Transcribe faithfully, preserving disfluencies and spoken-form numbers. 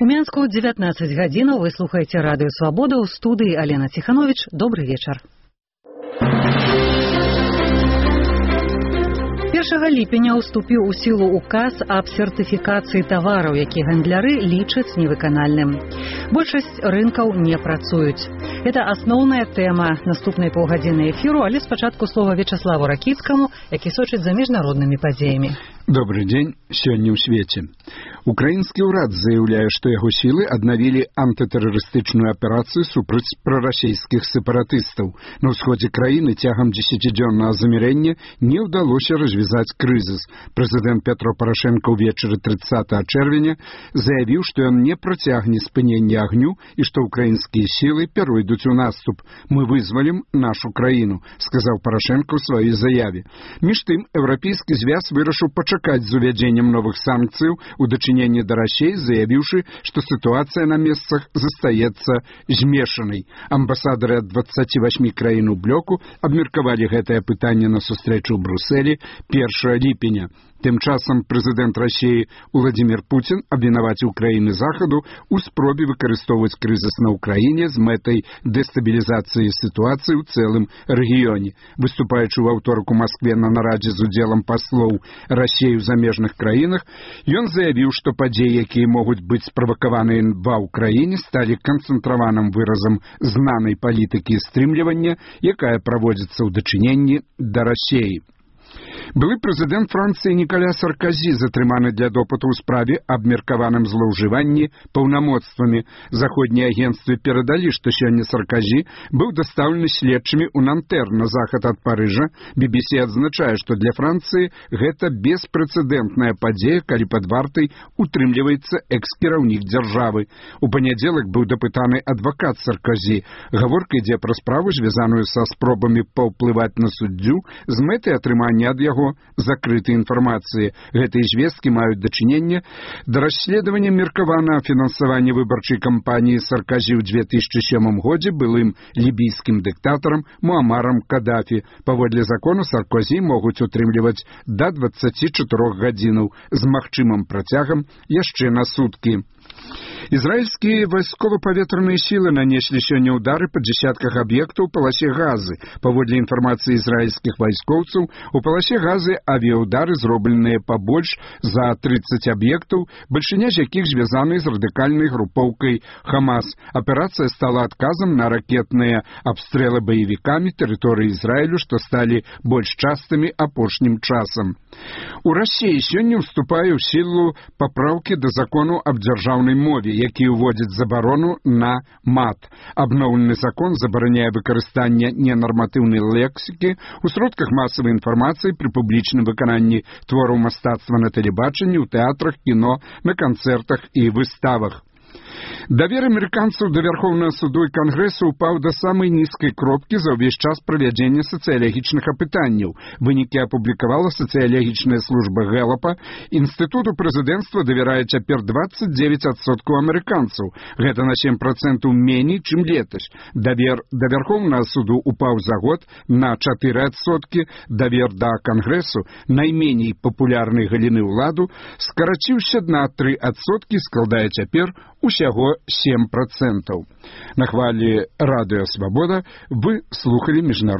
Мінску дзевятнаццаць гадзінаў. Вы слухаеце радыё Свабода, ў студыі Алена Ціханович. Добры вечар. першага ліпеня ўступіў у сілу указ аб сертыфікацыі тавараў, які гандляры лічаць невыканальным. Большасць рынкаў не працуюць. Это асноўная тэма наступнай паўгадзіны эфіру, але спачатку слова Вячаславу Ракіцкаму, які сочыць за міжнароднымі падзеямі. Добрый дзень. Сёння ў свеце. Украінскі ўрад заяўляе, што яго сілы аднавілі антытэрарыстычную аперацыю супраць прарасійскіх сепаратыстаў. На ўсходзе краіны цягам дзесяцідзённага замірэння не ўдалося развязаць крызіс. Прэзідэнт Пятро Парашенко ўвечары трыццатага чэрвеня заявіў, што ён не працягне спынення агню і што ўкраінскія сілы пяройдуць у наступ. Мы вызвалім нашу краіну, сказаў Парашенко ў сваёй заяве. Між тым, Еўрапейскі звяз вырашыў пачакаць з увядзеннем новых санкцыяў у дачыненні да Расіі, заявіўшы, што сітуацыя на месцах застаецца змешанай. Амбасадары ад дваццаці васьмі краін у блоку абмеркавалі гэтае пытанне на сустрэчу ў Брусэлі першага ліпеня. Тым часам прэзідэнт Расіі Уладзімір Пуцін абвінаваціў краіны Захаду ў спробе выкарыстоўваць крызіс на Ўкраіне з мэтай дэстабілізацыі сітуацыі ў цэлым рэгіёне. Выступаючы ў аўторак у Маскве на нарадзе з удзелам паслоў Расіі ў замежных краінах, ён заявіў, што падзеі, якія могуць быць справакаваныя ва ўкраіне, сталі канцэнтраваным выразам знанай палітыкі стрымлівання, якая праводзіцца ў дачыненні да Расіі. Былы прэзідэнт Францыі Ніколя Сарказі затрыманы для допыту ў справе аб меркаваным злоўжыванні паўнамоцтвамі. Заходнія агенцтвы перадалі, што сёння Сарказі быў дастаўлены следчымі ў Нантэр на захад ад Парыжа. би би си адзначае, што для Францыі гэта беспрэцэдэнтная падзея, калі пад вартай утрымліваецца экс-кіраўнік дзяржавы. У панядзелак быў дапытаны адвакат Сарказі. Гаворка ідзе пра справу, звязаную са спробамі паўплываць на суддзю з мэтай атрымання ад яго закрытай інфармацыі. Гэтыя звесткі маюць дачыненне да расследавання меркаванага фінансавання выбарчай кампаніі Сарказі ў дзве тысячы сёмым годзе былым лібійскім дыктатарам Муамарам Кадафі. Паводле закону Сарказі могуць утрымліваць да дваццаці чатырох гадзінаў з магчымым працягам яшчэ на суткі. Ізраільскія вайскова-паветраныя сілы нанеслі сёння ўдары па дзесятках аб'ектаў у паласе Газы. Паводле інфармацыі ізраільскіх вайскоўцаў, у паласе Газы авіяўдары зробленыя пабольш за трыццаць аб'ектаў, бальшыня з якіх звязаны з радыкальнай групоўкай Хамас. Аперацыя стала адказам на ракетныя абстрэлы баевікамі тэрыторыі Ізраілю, што сталі больш частымі апошнім часам. У Расіі сёння ўступае ў сілу папраўкі да закону аб дзяржаўнай мове, які ўводзіць забарону на мат. Абноўлены закон забараняе выкарыстанне ненарматыўнай лексікі ў сродках масавай інфармацыі пры публічным выкананні твораў мастацтва на тэлебачанні, у тэатрах, кіно, на канцэртах і выставах. Давер амерыканцаў да Вярхоўнага суду і Кангрэсу ўпаў да самай нізкай кропкі за ўвесь час правядзення сацыялагічных апытанняў. Вынікі апублікавала сацыялагічная служба Гэлапа. Інстытуту прэзідэнцтва давярае цяпер дваццаць дзевяць адсоткаў амерыканцаў. Гэта на сем працэнтаў меней, чым летась. Давер да Вярхоўнага суду ўпаў за год на чатыры адсоткі. Давер да Кангрэсу, найменей папулярнай галіны ўладу, скараціўся на тры адсоткі, складае цяпер усяго сем працэнтаў. На хвалі радыё Свабода вы слухалі міжнародны